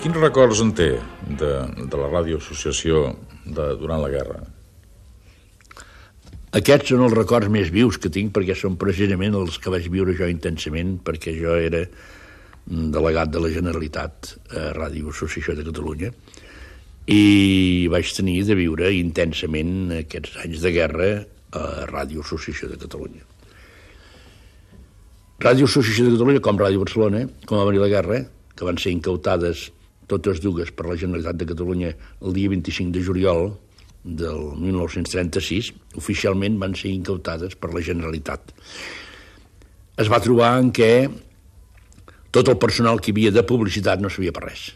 Quins records en té de la ràdio-associació durant la guerra? Aquests són els records més vius que tinc, perquè són precisament els que vaig viure jo intensament, perquè jo era delegat de la Generalitat a Ràdio Associació de Catalunya i vaig tenir de viure intensament aquests anys de guerra a Ràdio Associació de Catalunya. Ràdio Associació de Catalunya, com Ràdio Barcelona, com va venir la guerra, que van ser incautades totes dues per la Generalitat de Catalunya el dia 25 de juliol del 1936, oficialment van ser incautades per la Generalitat. Es va trobar en què tot el personal que hi havia de publicitat no sabia per res.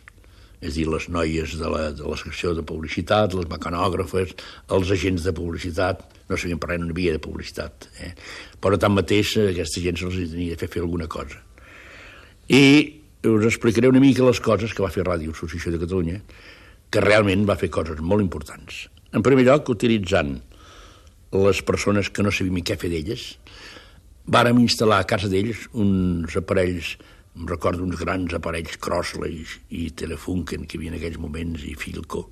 És a dir, les noies de la secció de publicitat, les mecanògrafes, els agents de publicitat, no sabien per res, no hi havia de publicitat. Però tanmateix aquesta gent se'ls tenia de fer alguna cosa. I us explicaré una mica les coses que va fer Ràdio Associació de Catalunya, que realment va fer coses molt importants. En primer lloc, utilitzant les persones que no sabíem què fer d'elles, vàrem instal·lar a casa d'ells uns aparells, em recordo uns grans aparells Crossley i Telefunken que hi havia en aquells moments, i Philco,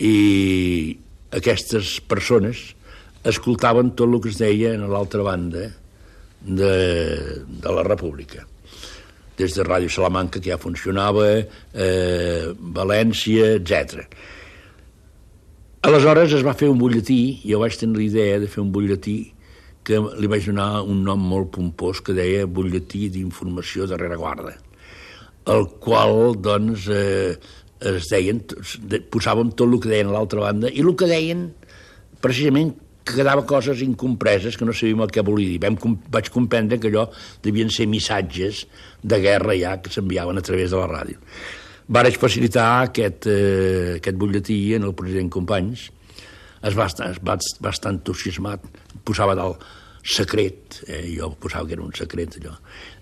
i aquestes persones escoltaven tot el que es deia a l'altra banda de la República, des de Ràdio Salamanca, que ja funcionava, València, etc. Aleshores es va fer un butlletí, jo vaig tenir la idea de fer un butlletí que li vaig donar un nom molt pompós que deia Butlletí d'Informació de Rereguarda, el qual, doncs, es deien, posàvem tot el que deien a l'altra banda, i el que deien, precisament, que quedava coses incompreses que no sabíem el que volia dir. Vaig comprendre que allò devien ser missatges de guerra ja que s'enviaven a través de la ràdio. Vaig facilitar aquest butlletí en el president Companys. Es va estar entusiasmat, posava dalt secret, jo posava que era un secret allò.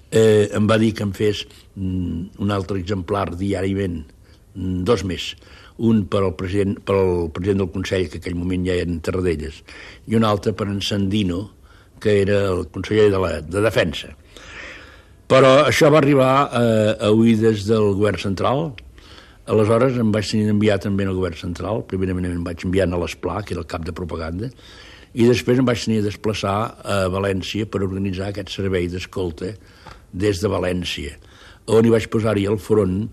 Em va dir que em fes un altre exemplar diàriament, 2 més, un per al president del Consell, que en aquell moment ja era en Tarradellas, i un altre per en Sandino, que era el conseller de Defensa. Però això va arribar a oïdes del govern central. Aleshores em vaig tenir d'enviar també al govern central. Primerament em vaig enviar a l'Esplà, que era el cap de propaganda, i després em vaig tenir de desplaçar a València per organitzar aquest servei d'escolta des de València, on hi vaig posar-hi al front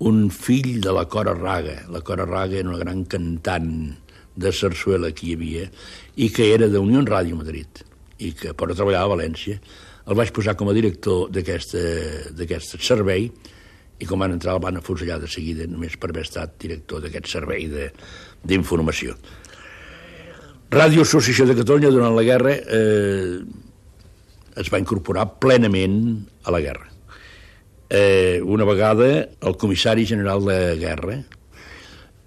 un fill de la Cora Raga. La Cora Raga era una gran cantant de sarsuela que hi havia i que era de Unió Ràdio Madrid i que però treballava a València. El vaig posar com a director d'aquest servei i com van entrar el van afusellar de seguida només per haver estat director d'aquest servei d'informació. Ràdio Associació de Catalunya durant la guerra es va incorporar plenament a la guerra. Una vegada el comissari general de guerra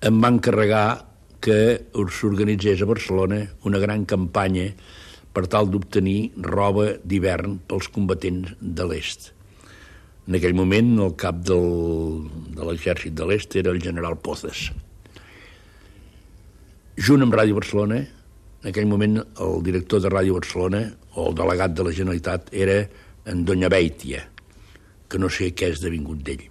em va encarregar que s'organitzés a Barcelona una gran campanya per tal d'obtenir roba d'hivern pels combatents de l'est. En aquell moment el cap de l'exèrcit de l'est era el general Pozas. Junt amb Ràdio Barcelona, en aquell moment el director de Ràdio Barcelona o el delegat de la Generalitat era en Doña Beitia, que no sé què és devingut d'ell.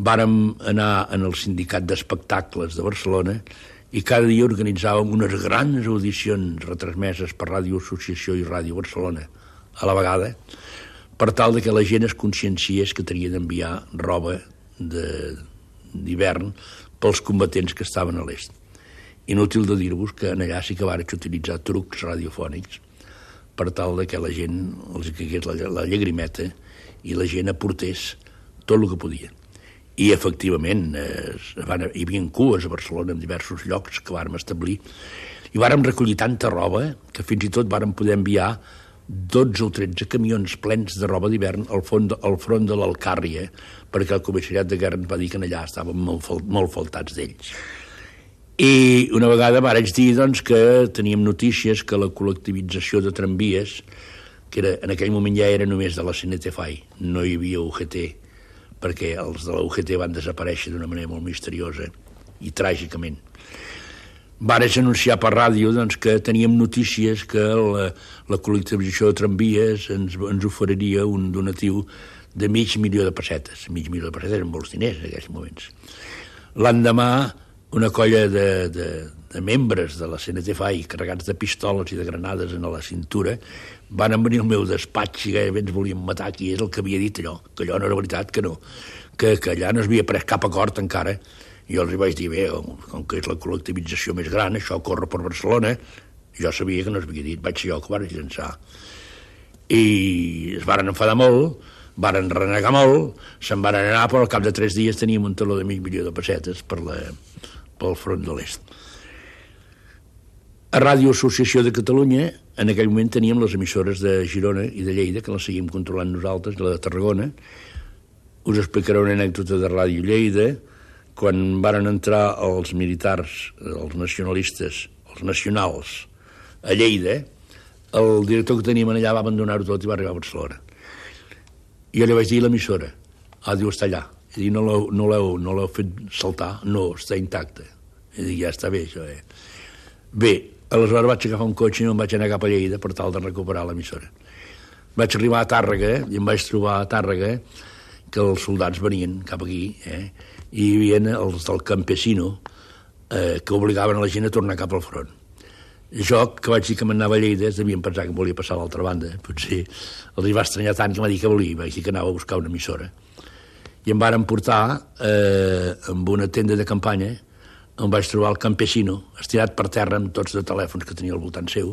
Vàrem anar en el sindicat d'espectacles de Barcelona i cada dia organitzàvem unes grans audicions retransmeses per Ràdio Associació i Ràdio Barcelona a la vegada, per tal que la gent es conscienciés que tenia d'enviar roba d'hivern pels combatents que estaven a l'est. Inútil de dir-vos que allà sí que vaig utilitzar trucs radiofònics per tal que la gent els caigués la llagrimeta i la gent aportés tot el que podia. I, efectivament, hi havia cues a Barcelona en diversos llocs que vàrem establir i vàrem recollir tanta roba que fins i tot vàrem poder enviar 12 o 13 camions plens de roba d'hivern al front de l'Alcàrria, perquè el comissariat de guerra ens va dir que allà estaven molt faltats d'ells. I una vegada vaig dir doncs, que teníem notícies que la col·lectivització de tramvies, que en aquell moment ja era només de la CNT-FAI, no hi havia UGT, perquè els de la UGT van desaparèixer d'una manera molt misteriosa i tràgicament. Vaig anunciar per ràdio doncs, que teníem notícies que la col·lectivització de tramvies ens oferiria un donatiu de $500.000 de pessetes. $500.000 de pessetes eren molts diners en aquells moments. L'endemà, una colla de membres de la CNT-FAI, carregats de pistoles i de granades a la cintura, van venir al meu despatx i gairebé ens volien matar, qui és el que havia dit allò, que allò no era veritat, que no, que allà no s'havia pres cap acord encara. I jo els vaig dir, bé, com que és la col·lectivització més gran, això corre per Barcelona, jo sabia que no s'havia dit, vaig ser jo que ho vaig llançar. I es varen enfadar molt, varen renegar molt, se'n van anar, però al cap de 3 dies teníem un taló de $500.000 de pessetes pel front de l'est. A Ràdio Associació de Catalunya, en aquell moment teníem les emissores de Girona i de Lleida, que les seguim controlant nosaltres, la de Tarragona. Us explicaré una anècdota de Ràdio Lleida. Quan varen entrar els militars, els nacionalistes, els nacionals, a Lleida, el director que teníem allà va abandonar-ho tot i va arribar a Barcelona. Jo li vaig dir a l'emissora, diu, està allà. I diu, no l'heu fet saltar? No, està intacte. I dic, ja està bé, això, Bé, aleshores vaig agafar un cotxe i em vaig anar cap a Lleida per tal de recuperar l'emissora. Vaig arribar a Tàrrega i em vaig trobar a Tàrrega que els soldats venien cap aquí, i hi havia els del Campesino que obligaven a la gent a tornar cap al front. Jo, que vaig dir que m'anava a Lleida, devien pensar que em volia passar a l'altra banda. Potser els hi va estranyar tant que m'ha dit que volia. Vaig dir que anava a buscar una emissora. I em varen portar amb una tenda de campanya, on vaig trobar el Campesino, estirat per terra amb tots de telèfons que tenia al voltant seu.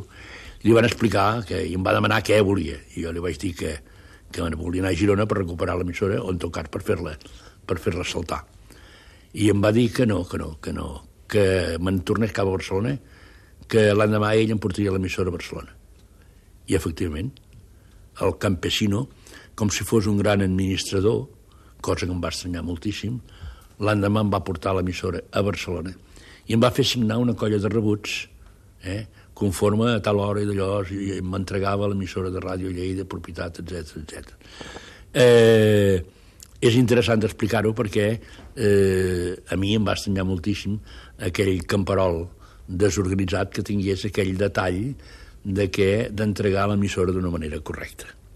I li van explicar i em va demanar què volia. I jo li vaig dir que volia anar a Girona per recuperar l'emissora, o en tot cas per fer-la saltar. I em va dir que no, que me'n tornés cap a Barcelona, que l'endemà ell em portaria l'emissora a Barcelona. I, efectivament, el Campesino, com si fos un gran administrador, cosa que em va estranyar moltíssim, l'endemà em va portar l'emissora a Barcelona i em va fer signar una colla de rebuts, conforme a tal hora i d'allò, i m'entregava l'emissora de Ràdio Lleida, propietat, etc. És interessant explicar-ho perquè a mi em va estranyar moltíssim aquell camperol desorganitzat que tingués aquell detall d'entregar l'emissora d'una manera correcta.